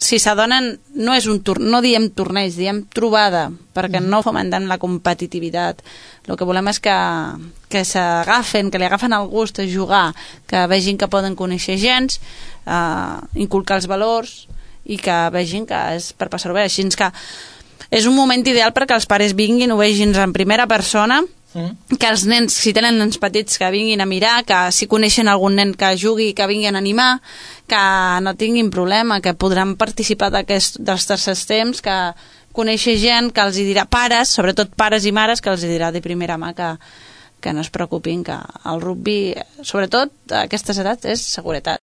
si s'adonen, no diem torneig, diem trobada, perquè no fomentem la competitivitat. El que volem és que s'agafen, que li agafen el gust a jugar, que vegin que poden conèixer gens, inculcar els valors i que vegin que és per passar-ho bé. Així que és un moment ideal perquè els pares vinguin, ho vegin en primera persona, que els nens, si tenen nens petits, que vinguin a mirar, que si coneixen algun nen que jugui, que vinguin a animar, que no tinguin problema, que podran participar dels tercers temps, que conèixer gent que els dirà, pares, sobretot pares i mares, que els dirà de primera mà que no es preocupin, que el rugby, sobretot a aquestes edats, és seguretat.